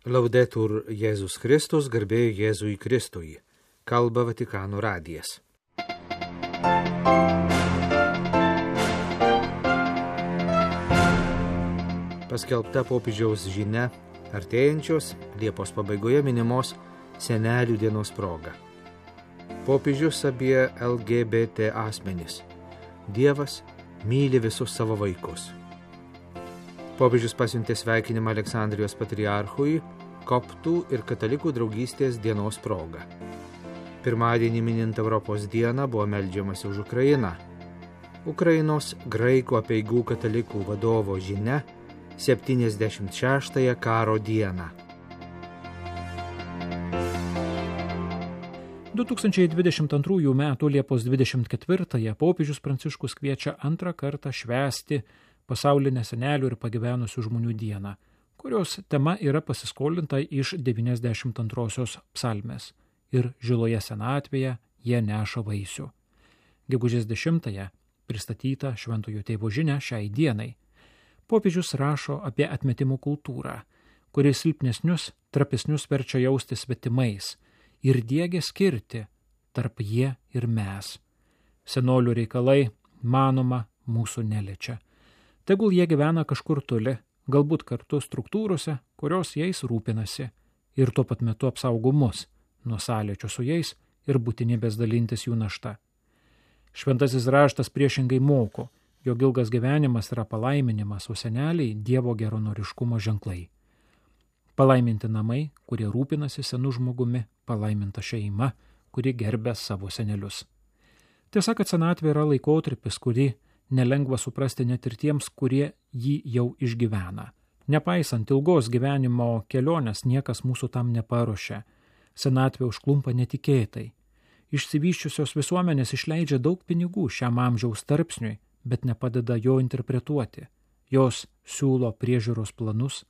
Laudetur Jėzus Kristus, garbė Jėzui Kristui. Kalba Vatikano radijas. Paskelbta popiežiaus žinia artėjančios Liepos pabaigoje minimos senelių dienos proga. Popiežius apie LGBT asmenis. Dievas myli visus savo vaikus. Popiežius pasiuntė sveikinimą Aleksandrijos patriarchui koptų ir katalikų draugystės dienos proga. Pirmadienį minint Europos dieną buvo meldžiamasi už Ukrainą. Ukrainos graikų apeigų katalikų vadovo žinia 76-ąją karo dieną. 2022 m. Liepos 24-ąją popiežius Pranciškus kviečia antrą kartą švęsti pasaulinę senelių ir pagyvenusių žmonių dieną, kurios tema yra pasiskolinta iš 92-osios psalmės ir žiloje senatvėje jie neša vaisių. Gegužės 10-ąją pristatyta Šventojo Tėvo žinia šiai dienai. Popiežius rašo apie atmetimų kultūrą, kuri silpnesnius, trapesnius verčia jausti svetimais ir diegia skirti tarp jie ir mes. Senolių reikalai, manoma, mūsų neliečia. Tegul jie gyvena kažkur toli, galbūt kartu struktūrose, kurios jais rūpinasi, ir tuo pat metu apsaugo mus nuo sąlyčio su jais ir būtinybės dalintis jų našta. Šventasis raštas priešingai moko, jog ilgas gyvenimas yra palaiminimas, o seneliai Dievo geranoriškumo ženklai. Palaiminti namai, kurie rūpinasi senu žmogumi, palaiminta šeima, kuri gerbia savo senelius. Tiesa, kad senatvė yra laikotarpis, kurį nelengva suprasti net ir tiems, kurie jį jau išgyvena. Nepaisant ilgos gyvenimo kelionės, niekas mūsų tam neparuošia. Senatvė užklumpa netikėtai. Išsivysčiusios visuomenės išleidžia daug pinigų šiam amžiaus tarpsniui, bet nepadeda jo interpretuoti. Jos siūlo priežiūros planus,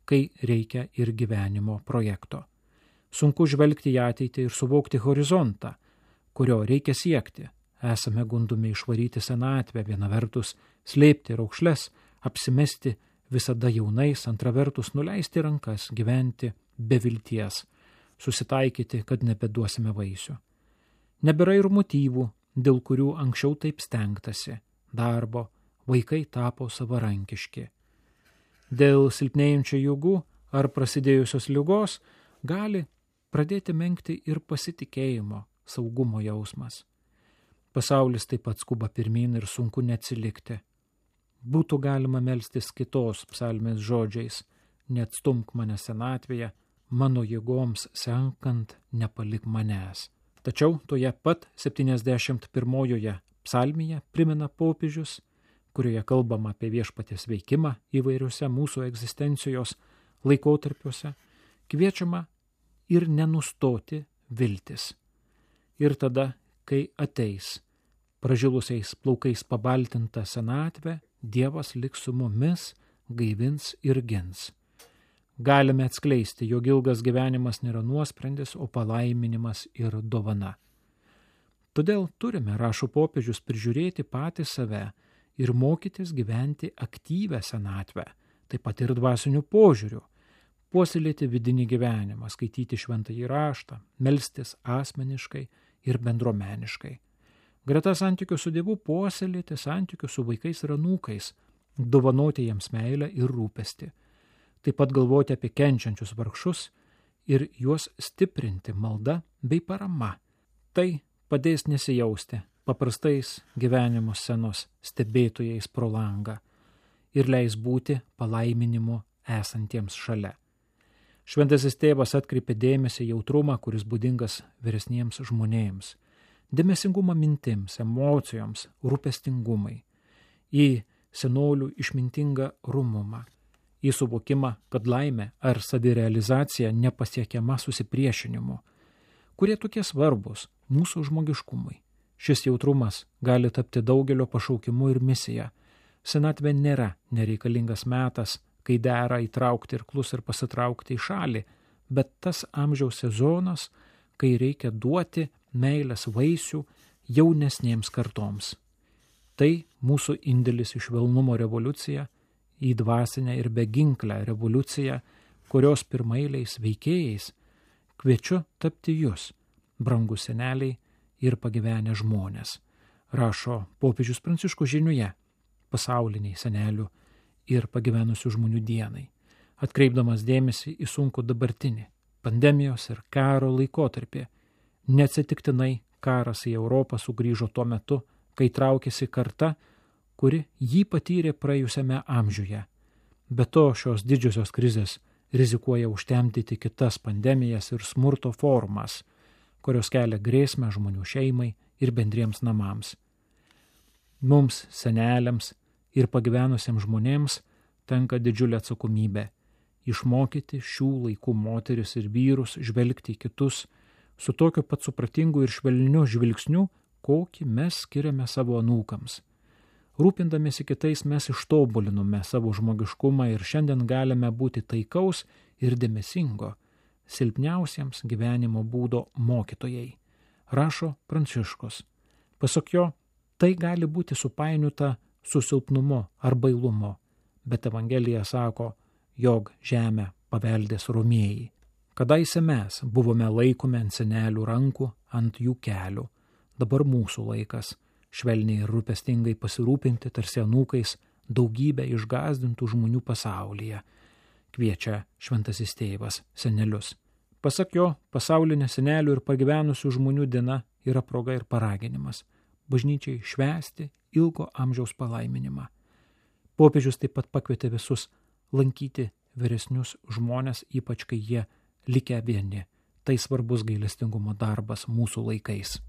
kai reikia ir gyvenimo projekto. Sunku žvelgti į ateitį ir suvokti horizontą, kurio reikia siekti. Esame gundomi išvaryti senatvę, viena vertus slėpti raukšles, apsimesti visada jaunais, antra vertus nuleisti rankas, gyventi be vilties, susitaikyti, kad nebeduosime vaisių. Nebėra ir motyvų, dėl kurių anksčiau taip stengtasi. Darbo, vaikai tapo savarankiški. Dėl silpnėjančių jėgų ar prasidėjusios ligos gali pradėti menkti ir pasitikėjimo, saugumo jausmas. Pasaulis taip pat skuba pirmyn ir sunku neatsilikti. Būtų galima melstis kitos psalmės žodžiais: neatstumk mane senatvėje, mano jėgoms senkant nepalik manęs. Tačiau toje pat 71-ojoje psalmėje primena popiežius, kurioje kalbama apie viešpaties veikimą įvairiuose mūsų egzistencijos laikotarpiuose, kviečiama ir nenustoti viltis. Ir tada, kai ateis pražilusiais plaukais pabaltinta senatvė, Dievas liks su mumis, gaivins ir gins. Galime atskleisti, jog ilgas gyvenimas nėra nuosprendis, o palaiminimas ir dovana. Todėl turime, rašo popiežius, prižiūrėti patį save ir mokytis gyventi aktyvę senatvę, taip pat ir dvasiniu požiūriu, puoselėti vidinį gyvenimą, skaityti šventąjį raštą, melstis asmeniškai ir bendruomeniškai. Greta santykių su Dievu puoselėti santykių su vaikais ir anūkais, dovanoti jiems meilę ir rūpestį. Taip pat galvoti apie kenčiančius vargšus ir juos stiprinti malda bei parama. Tai padės nesijausti paprastais gyvenimo scenos stebėtojais pro langą ir leis būti palaiminimu esantiems šalia. Šventasis tėvas atkreipė dėmesį jautrumą, kuris būdingas vyresniems žmonėms, dėmesingumą mintims, emocijoms, rūpestingumai, į senolių išmintingą rumumą, į suvokimą, kad laimė ar savirealizacija nepasiekiama susipriešinimu, kurie tokie svarbus mūsų žmogiškumui. Šis jautrumas gali tapti daugelio pašaukimu ir misija. Senatvė nėra nereikalingas metas, kai dera įtraukti irklus ir pasitraukti į šalį, bet tas amžiaus sezonas, kai reikia duoti meilės vaisių jaunesnėms kartoms. Tai mūsų indėlis į švelnumo revoliuciją, į dvasinę ir beginklę revoliuciją, kurios pirmailiais veikėjais kviečiu tapti jūs, brangus seneliai ir pagyvenę žmonės, rašo popiežius Pranciškus žiniuje pasauliniai senelių ir pagyvenusių žmonių dienai, atkreipdamas dėmesį į sunkų dabartinį pandemijos ir karo laikotarpį. Neatsitiktinai karas į Europą sugrįžo tuo metu, kai traukėsi karta, kuri jį patyrė praėjusiame amžiuje. Be to, šios didžiosios krizės rizikuoja užtemdyti kitas pandemijas ir smurto formas, kurios kelia grėsmę žmonių šeimai ir bendriems namams. Mums, seneliams ir pagyvenusiems žmonėms, tenka didžiulė atsakomybė išmokyti šių laikų moteris ir vyrus žvelgti į kitus su tokiu pat supratingu ir švelniu žvilgsniu, kokį mes skiriame savo anūkams. Rūpindamėsi kitais mes ištobulinome savo žmogiškumą ir šiandien galime būti taikaus ir dėmesingo, silpniausiems gyvenimo būdo mokytojai, rašo Pranciškus. Pasak jo, tai gali būti supainiota su silpnumu ar bailumu, bet Evangelija sako, jog žemę paveldės romieji. Kadaise mes buvome laikomi ant senelių rankų, ant jų kelių. Dabar mūsų laikas švelniai ir rūpestingai pasirūpinti tarsi anūkais daugybę išgąsdintų žmonių pasaulyje, kviečia šventasis tėvas senelius. Pasak jo, pasaulinė senelių ir pagyvenusių žmonių diena yra proga ir paraginimas bažnyčiai švęsti ilgo amžiaus palaiminimą. Popiežius taip pat pakvietė visus lankyti vyresnius žmonės, ypač kai jie likę vieni. Tai svarbus gailestingumo darbas mūsų laikais.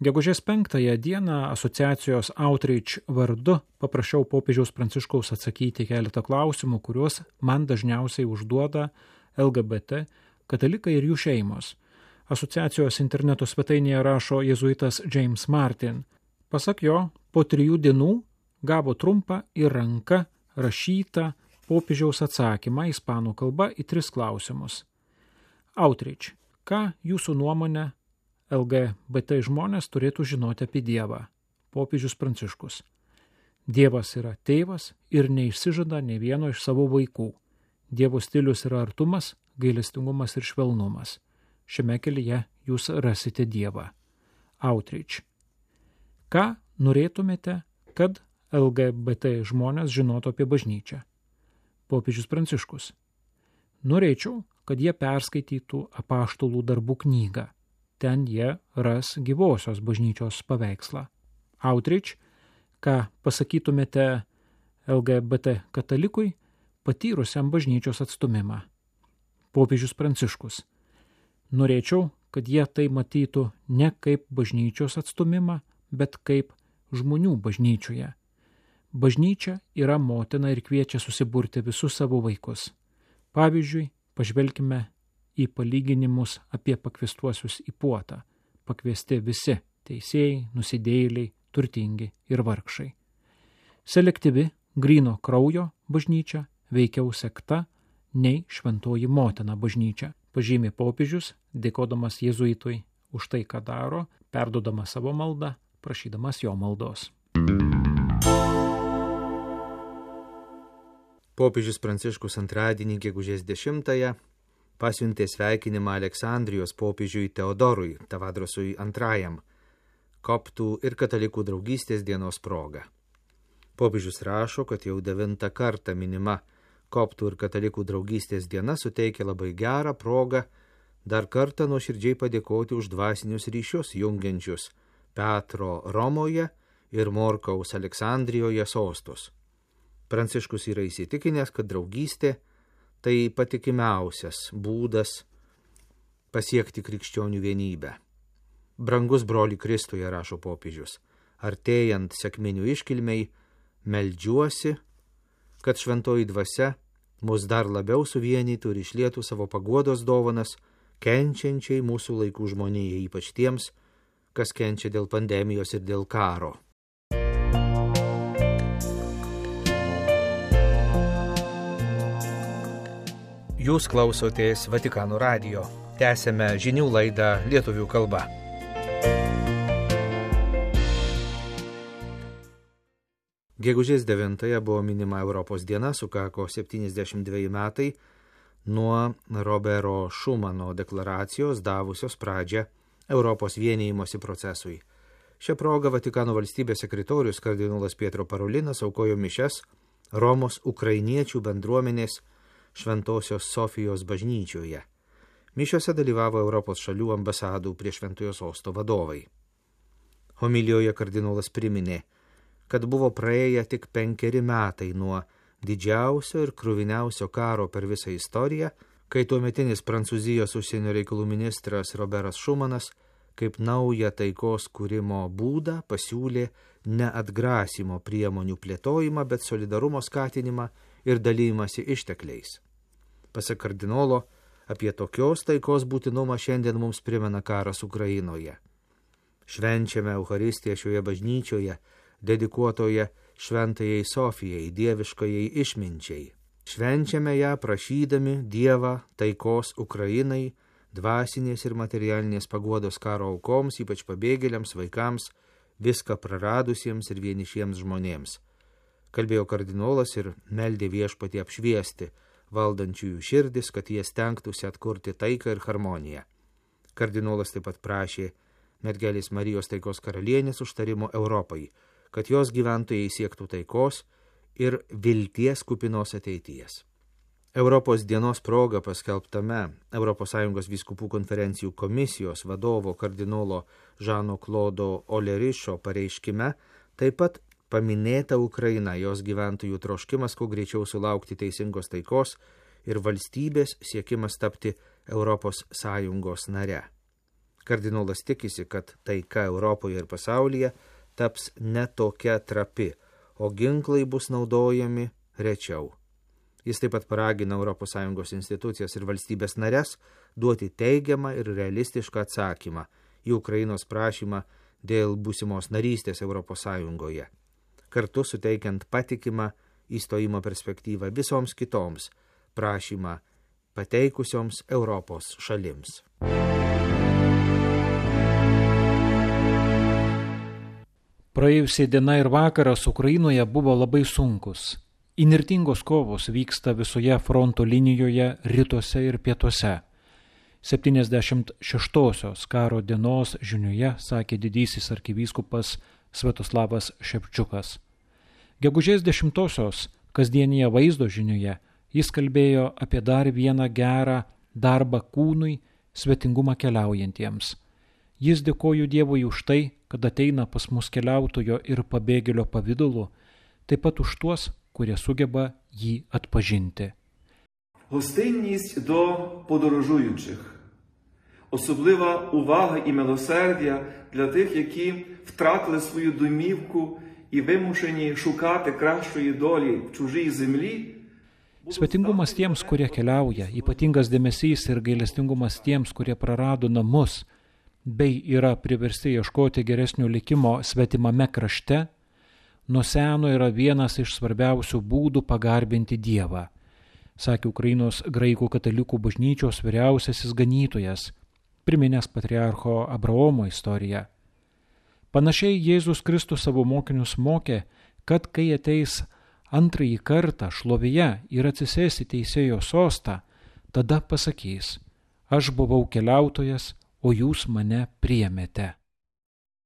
Gegužės 5 dieną asociacijos Outreach vardu paprašiau popiežiaus Pranciškaus atsakyti keletą klausimų, kuriuos man dažniausiai užduoda LGBT, katalikai ir jų šeimos. Asociacijos interneto svetainėje rašo jėzuitas James Martin. Pasak jo, po 3 dienų gavo trumpą į ranką rašytą popiežiaus atsakymą ispanų kalba į 3 klausimus. Outreach. Ką jūsų nuomonė LGBT žmonės turėtų žinoti apie Dievą? Popiežius Pranciškus. Dievas yra tėvas ir neišsižada nei vieno iš savo vaikų. Dievo stilius yra artumas, gailestingumas ir švelnumas. Šiame kelyje jūs rasite Dievą. Outreach. Ką norėtumėte, kad LGBT žmonės žinotų apie bažnyčią? Popiežius Pranciškus. Norėčiau, kad jie perskaitytų apaštalų darbų knygą. Ten jie ras gyvosios bažnyčios paveikslą. Outreach. Ką pasakytumėte LGBT katalikui, patyrusiam bažnyčios atstumimą? Popiežius Pranciškus. Norėčiau, kad jie tai matytų ne kaip bažnyčios atstumimą, bet kaip žmonių bažnyčioje. Bažnyčia yra motina ir kviečia susiburti visus savo vaikus. Pavyzdžiui, pažvelkime į palyginimus apie pakviestuosius į puotą. Pakviesti visi – teisėjai, nusidėjėliai, turtingi ir vargšai. Selektyvi, gryno kraujo bažnyčia veikiau sekta nei šventoji motina bažnyčia, pažymė popiežius, dėkodamas jėzuitui už tai, ką daro, perduodamas savo maldą, prašydamas jo maldos. Popiežius Pranciškus antradienį gegužės 10 pasiuntė sveikinimą Aleksandrijos popiežiui Teodorui Tavadrosui II, koptų ir katalikų draugystės dienos proga. Popiežius rašo, kad jau 9 kartą minima koptų ir katalikų draugystės diena suteikia labai gerą progą dar kartą nuoširdžiai padėkoti už dvasinius ryšius jungiančius Petro Romoje ir Morkaus Aleksandrijoje sostus. Pranciškus yra įsitikinęs, kad draugystė tai patikimiausias būdas pasiekti krikščionių vienybę. Brangus broli Kristuje, rašo popiežius, artėjant sekminių iškilmei, meldžiuosi, kad šventoji dvasia mus dar labiau suvienytų ir išlietų savo paguodos dovanas kenčiančiai mūsų laikų žmonijai, ypač tiems, kas kenčia dėl pandemijos ir dėl karo. Jūs klausotės Vatikano radijo. Tęsėme žinių laidą lietuvių kalba. Gegužės 9 buvo minima Europos diena, sukako 72 metai nuo Robero Šumano deklaracijos davusios pradžią Europos vienijimosi procesui. Šią progą Vatikano valstybės sekretorius kardinolas Pietro Parolinas aukojo mišias Romos ukrainiečių bendruomenės Šventosios Sofijos bažnyčioje. Mišiose dalyvavo Europos šalių ambasadų prie Šventojo sosto vadovai. Homilijoje kardinolas priminė, kad buvo praėję tik 5 metai nuo didžiausio ir kruviniausio karo per visą istoriją, kai tuometinis Prancūzijos užsienio reikalų ministras Roberas Šumanas kaip naują taikos kūrimo būdą pasiūlė ne atgrasimo priemonių plėtojimą, bet solidarumo skatinimą ir dalymasi ištekliais. Pasak kardinolo, apie tokios taikos būtinumą šiandien mums primena karas Ukrainoje. Švenčiame Eucharistiją šioje bažnyčioje, dedikuotoje Šventajai Sofijai, dieviškajai išminčiai. Švenčiame ją prašydami Dievą taikos Ukrainai, dvasinės ir materialinės paguodos karo aukoms, ypač pabėgėliams, vaikams, viską praradusiems ir vienišiems žmonėms. Kalbėjo kardinolas ir meldė Viešpatį apšviesti valdančiųjų širdis, kad jie stengtųsi atkurti taiką ir harmoniją. Kardinolas taip pat prašė mergelės Marijos taikos karalienės užtarimo Europai, kad jos gyventojai siektų taikos ir vilties kupinos ateities. Europos dienos proga paskelbtame ES vyskupų konferencijų komisijos vadovo kardinolo Žano Klodo Olerišo pareiškime taip pat paminėta Ukraina, jos gyventojų troškimas kuo greičiau sulaukti teisingos taikos ir valstybės siekimas tapti ES nare. Kardinolas tikisi, kad taika Europoje ir pasaulyje taps ne tokia trapi, o ginklai bus naudojami rečiau. Jis taip pat paragina ES institucijas ir valstybės nares duoti teigiamą ir realistišką atsakymą į Ukrainos prašymą dėl būsimos narystės ES, kartu suteikiant patikimą įstojimo perspektyvą visoms kitoms prašymą pateikusioms Europos šalims. Praėjusią dieną ir vakaras Ukrainoje buvo labai sunkus. Įnirtingos kovos vyksta visoje fronto linijoje rytuose ir pietuose. 76-osios karo dienos žinioje sakė didysis arkivyskupas Sviatoslavas Ševčiukas. Gegužės 10-osios kasdienėje vaizdo žinioje jis kalbėjo apie dar vieną gerą darbą kūnui, svetingumą keliaujantiems. Jis dėkojo Dievui už tai, kad ateina pas mus keliautojo ir pabėgėlio pavidalu, taip pat už tuos, kurie sugeba jį atpažinti. Гостинність до подорожуючих. Особлива увага і милосердя для тих, які втратили свою домівку і вимушені шукати кращої долі в чужій землі. Svetingumas tiems, kurie keliauja, ypatingas dėmesys ir gailestingumas tiems, kurie prarado namus, bei yra priversti ieškoti geresnio likimo svetimame krašte, nuo seno yra vienas iš svarbiausių būdų pagarbinti Dievą, sakė Ukrainos graikų katalikų bažnyčios vyriausiasis ganytojas, priminęs patriarcho Abraomo istoriją. Panašiai Jėzus Kristus savo mokinius mokė, kad kai ateis antrąjį kartą šlovėje ir atsisės į teisėjo sostą, tada pasakys: aš buvau keliautojas, o jūs mane priėmėte.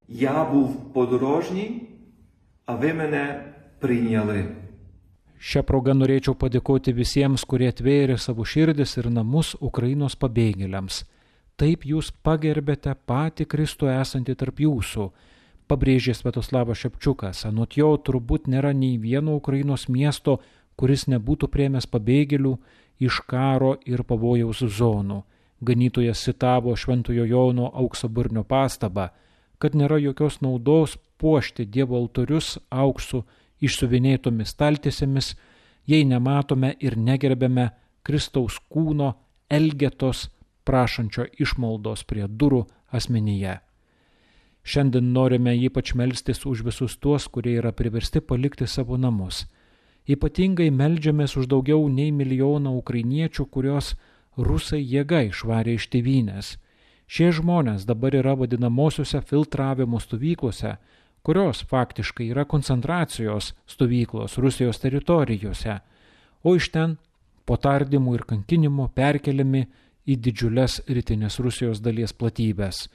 Я був подорожній, а ви мене прийняли. Šią progą norėčiau padėkoti visiems, kurie atvėrė savo širdis ir namus Ukrainos pabėgėliams. Taip jūs pagerbėte patį Kristų esantį tarp jūsų, pabrėžė Sviatoslavas Ševčiukas. Anot jo turbūt nėra nei vieno Ukrainos miesto, kuris nebūtų priėmęs pabėgėlių iš karo ir pavojaus zonų. Ganytojas citavo Šventojo Jono auksaburnio pastabą, kad nėra jokios naudos puošti Dievo altorius auksu išsiuvinėtomis staltiesėmis, jei nematome ir negerbėme Kristaus kūno elgetos prašančio išmaldos prie durų asmenyje. Šiandien norime ypač melstis už visus tuos, kurie yra priversti palikti savo namus. Ypatingai meldžiamės už daugiau nei 1 milijoną ukrainiečių, kurios rusai jėga išvarė iš tėvynės. Šie žmonės dabar yra vadinamosiuose filtravimo stovyklose, kurios faktiškai yra koncentracijos stovyklos Rusijos teritorijose, o iš ten po tardymų ir kankinimo perkeliami į didžiulės rytinės Rusijos dalies platybės,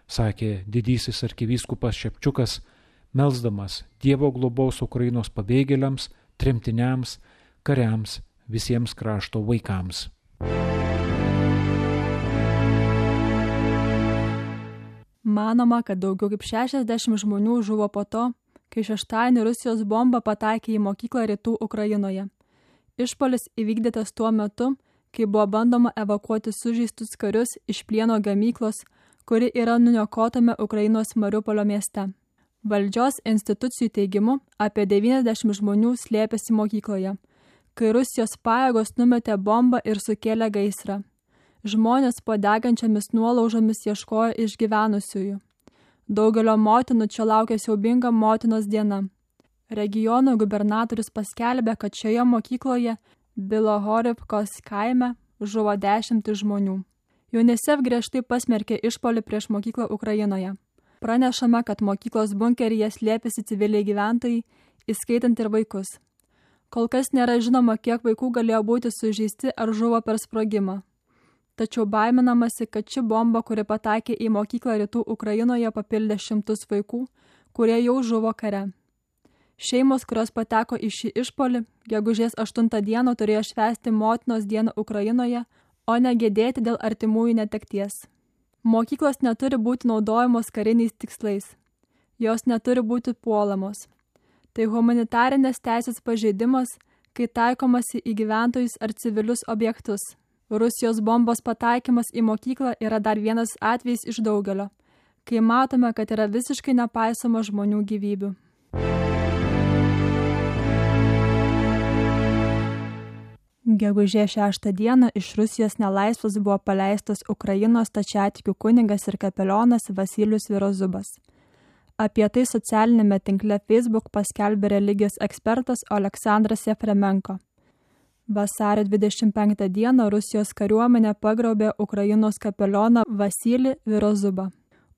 sakė didysis arkivyskupas Šepčiukas, melsdamas Dievo globos Ukrainos pabėgėliams, tremtiniams, kariams, visiems krašto vaikams. Manoma, kad daugiau kaip 60 žmonių žuvo po to, kai šeštadienį Rusijos bomba pataikė į mokyklą rytų Ukrainoje. Išpuolis įvykdytas tuo metu, kai buvo bandoma evakuoti sužeistus karius iš plieno gamyklos, kuri yra nuniokotame Ukrainos Mariupolio mieste. Valdžios institucijų teigimu apie 90 žmonių slėpėsi mokykloje, kai Rusijos pajėgos numetė bombą ir sukėlė gaisrą. Žmonės po degančiamis nuolaužomis ieškojo išgyvenusiųjų. Daugelio motinų čia laukia siaubinga motinos diena. Regiono gubernatorius paskelbė, kad šioje mokykloje Bilohorivkos kaime žuvo 10 žmonių. UNICEF griežtai pasmerkė išpuolį prieš mokyklą Ukrainoje. Pranešama, kad mokyklos bunkeryje slėpėsi civiliai gyventojai, įskaitant ir vaikus. Kol kas nėra žinoma, kiek vaikų galėjo būti sužeisti ar žuvo per sprogimą. Tačiau baiminamasi, kad ši bomba, kuri pataikė į mokyklą rytų Ukrainoje, papildė 100 vaikų, kurie jau žuvo kare. Šeimos, kurios pateko į šį išpuolį, gegužės 8 dieną turėjo švęsti motinos dieną Ukrainoje, o ne gedėti dėl artimųjų netekties. Mokyklos neturi būti naudojamos kariniais tikslais. Jos neturi būti puolamos. Tai humanitarinės teisės pažeidimas, kai taikomasi į gyventojus ar civilius objektus. Rusijos bombos pataikymas į mokyklą yra dar vienas atvejis iš daugelio, kai matome, kad yra visiškai nepaisoma žmonių gyvybių. Gegužės 6 dieną iš Rusijos nelaisvės buvo paleistas Ukrainos stačiatikių kunigas ir kapelionas Vasilijus Virozubas. Apie tai socialinėme tinkle Facebook paskelbė religijos ekspertas Aleksandras Jefremenko. Vasario 25 dieną Rusijos kariuomenė pagrobė Ukrainos kapelioną Vasilijų Virozubą.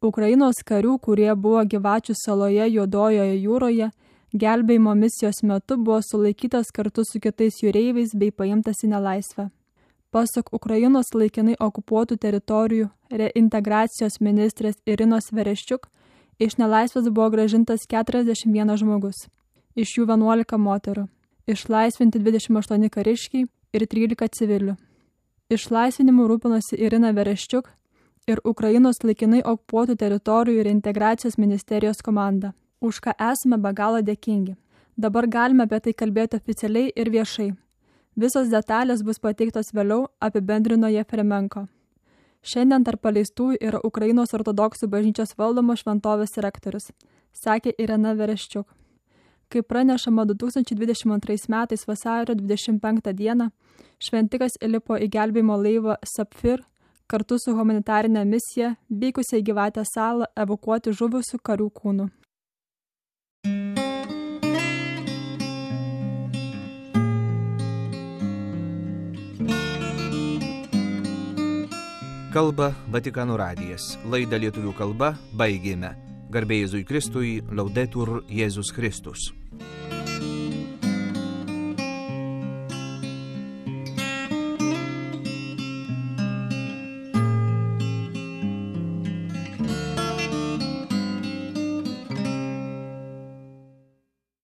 Ukrainos karių, kurie buvo Gyvačių saloje Juodojoje jūroje, gelbėjimo misijos metu buvo sulaikytas kartu su kitais jūreiviais bei paimtas į nelaisvę. Pasak Ukrainos laikinai okupuotų teritorijų reintegracijos ministrės Irinos Vereščiuk, iš nelaisvės buvo grąžintas 41 žmogus, iš jų 11 moterų. Išlaisvinti 28 kariškiai ir 13 civilių. Išlaisvinimu rūpinosi Irina Vereščiuk ir Ukrainos laikinai okupuotų teritorijų reintegracijos ministerijos komanda, už ką esame be galo dėkingi. Dabar galime apie tai kalbėti oficialiai ir viešai. Visos detalės bus pateiktos vėliau, apibendrino Jefremenko. Šiandien tarp paleistųjų yra Ukrainos ortodoksų bažnyčios valdomos šventovės rektorius, sakė Irina Vereščiuk. Kaip pranešama 2022 metais vasario 25 dieną, šventikas įlipo į gelbėjimo laivą Sapfir kartu su humanitarinė misija vykusią į Gyvatės salą evakuoti žuvusių karių kūnų. Kalba Vatikano radijas. Laidą lietuvių kalba baigėme. Garbė Jėzui Kristui, Laudetur Jėzus Kristus.